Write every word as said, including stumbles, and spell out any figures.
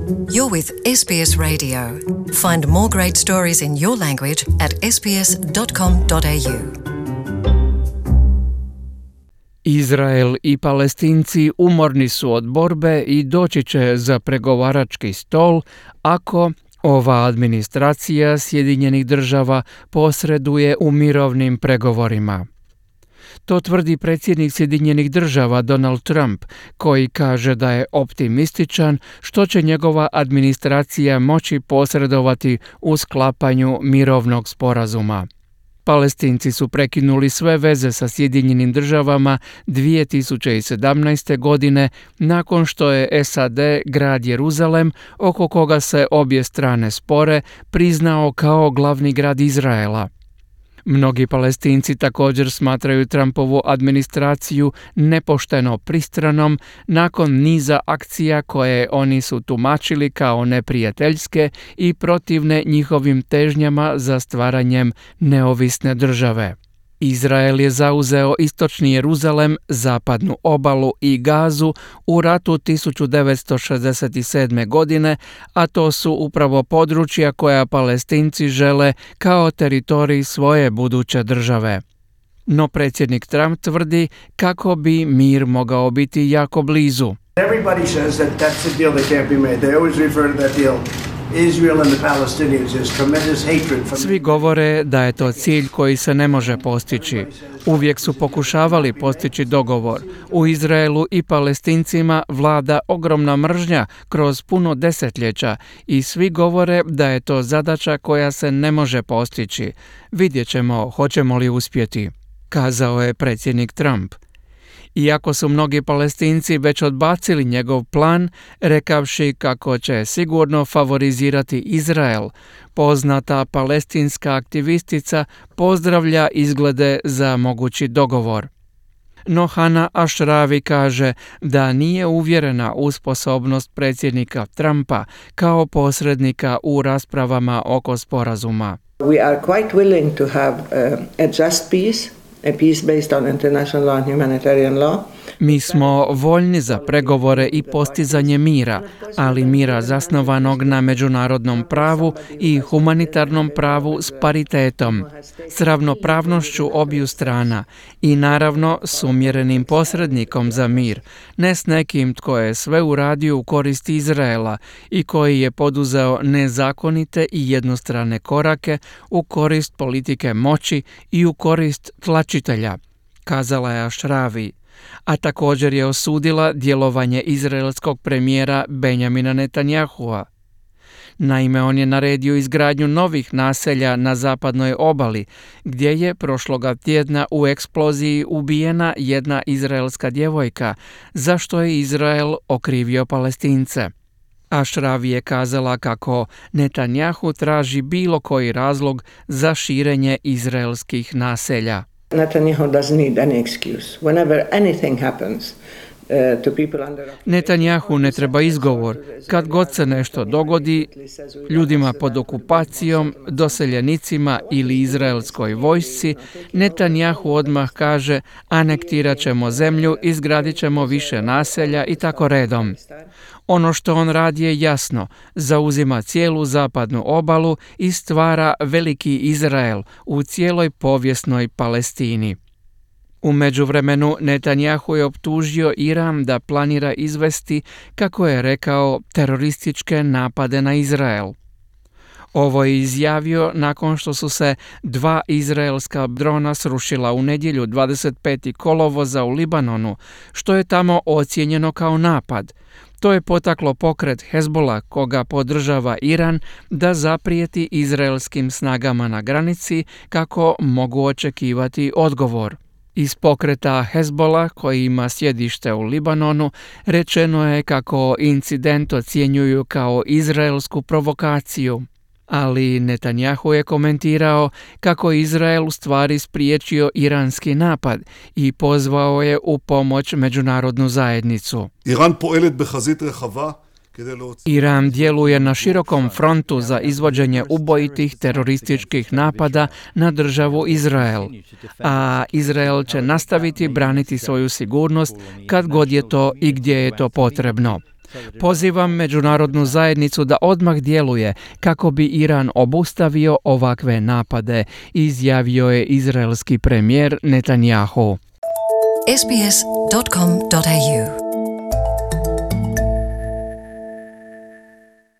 You're with S B S Radio. Find more great stories in your language at s b s dot com dot a u. Izrael i Palestinci umorni su od borbe i doći će za pregovarački stol ako ova administracija Sjedinjenih Država posreduje u mirovnim pregovorima. To tvrdi predsjednik Sjedinjenih Država Donald Trump, koji kaže da je optimističan što će njegova administracija moći posredovati u sklapanju mirovnog sporazuma. Palestinci su prekinuli sve veze sa Sjedinjenim Državama dvije tisuće sedamnaeste. godine nakon što je S A D grad Jeruzalem, oko koga se obje strane spore, priznao kao glavni grad Izraela. Mnogi Palestinci također smatraju Trumpovu administraciju nepošteno pristranom nakon niza akcija koje oni su tumačili kao neprijateljske i protivne njihovim težnjama za stvaranjem neovisne države. Izrael je zauzeo istočni Jeruzalem, zapadnu obalu i Gazu u ratu tisuću devetsto šezdeset sedme. godine, a to su upravo područja koja Palestinci žele kao teritorij svoje buduće države. No predsjednik Trump tvrdi kako bi mir mogao biti jako blizu. Everybody says that that's a deal that can't be made. They always refer to that deal. Israel and the Palestinians, there's tremendous hatred from... Svi govore da je to cilj koji se ne može postići. Uvijek su pokušavali postići dogovor. U Izraelu i Palestincima vlada ogromna mržnja kroz puno desetljeća i svi govore da je to zadaća koja se ne može postići. Vidjet ćemo hoćemo li uspjeti, kazao je predsjednik Trump. Iako su mnogi Palestinci već odbacili njegov plan, rekavši kako će sigurno favorizirati Izrael, poznata palestinska aktivistica pozdravlja izglede za mogući dogovor. No Hana Ashrawi kaže da nije uvjerena u sposobnost predsjednika Trumpa kao posrednika u raspravama oko sporazuma. We are quite willing to have uh, a just peace. A peace based on international law and humanitarian law. Mi smo voljni za pregovore i postizanje mira, ali mira zasnovanog na međunarodnom pravu i humanitarnom pravu s paritetom, s ravnopravnošću obiju strana i naravno s umjerenim posrednikom za mir, ne s nekim tko je sve uradio u korist Izraela i koji je poduzeo nezakonite i jednostrane korake u korist politike moći i u korist tlačitelja, kazala je Ashrawi. A također je osudila djelovanje izraelskog premijera Benjamina Netanyahua. Naime, on je naredio izgradnju novih naselja na zapadnoj obali, gdje je prošloga tjedna u eksploziji ubijena jedna izraelska djevojka, za što je Izrael okrivio Palestince. Ashrawi je kazala kako Netanyahu traži bilo koji razlog za širenje izraelskih naselja. Netanyahu doesn't need any excuse. Whenever anything happens uh, to people under Netanyahu ne treba izgovor. Kad god se nešto dogodi ljudima pod okupacijom, doseljenicima ili izraelskoj vojsci, Netanyahu odmah kaže anektirat ćemo zemlju, izgradit ćemo više naselja i tako redom. Ono što on radi je jasno, zauzima cijelu zapadnu obalu i stvara veliki Izrael u cijeloj povijesnoj Palestini. U međuvremenu Netanyahu je optužio Iran da planira izvesti, kako je rekao, terorističke napade na Izrael. Ovo je izjavio nakon što su se dva izraelska drona srušila u nedjelju dvadeset petog kolovoza u Libanonu, što je tamo ocijenjeno kao napad. To je potaklo pokret Hezbola, koga podržava Iran, da zaprijeti izraelskim snagama na granici kako mogu očekivati odgovor. Iz pokreta Hezbola, koji ima sjedište u Libanonu, rečeno je kako incident ocjenjuju kao izraelsku provokaciju. Ali Netanyahu je komentirao kako Izrael u stvari spriječio iranski napad i pozvao je u pomoć međunarodnu zajednicu. Iran poelet behazit rehava. Iran djeluje na širokom frontu za izvođenje ubojitih terorističkih napada na državu Izrael, a Izrael će nastaviti braniti svoju sigurnost kad god je to i gdje je to potrebno. Pozivam međunarodnu zajednicu da odmah djeluje kako bi Iran obustavio ovakve napade, izjavio je izraelski premijer Netanjahu. s b s dot com dot a u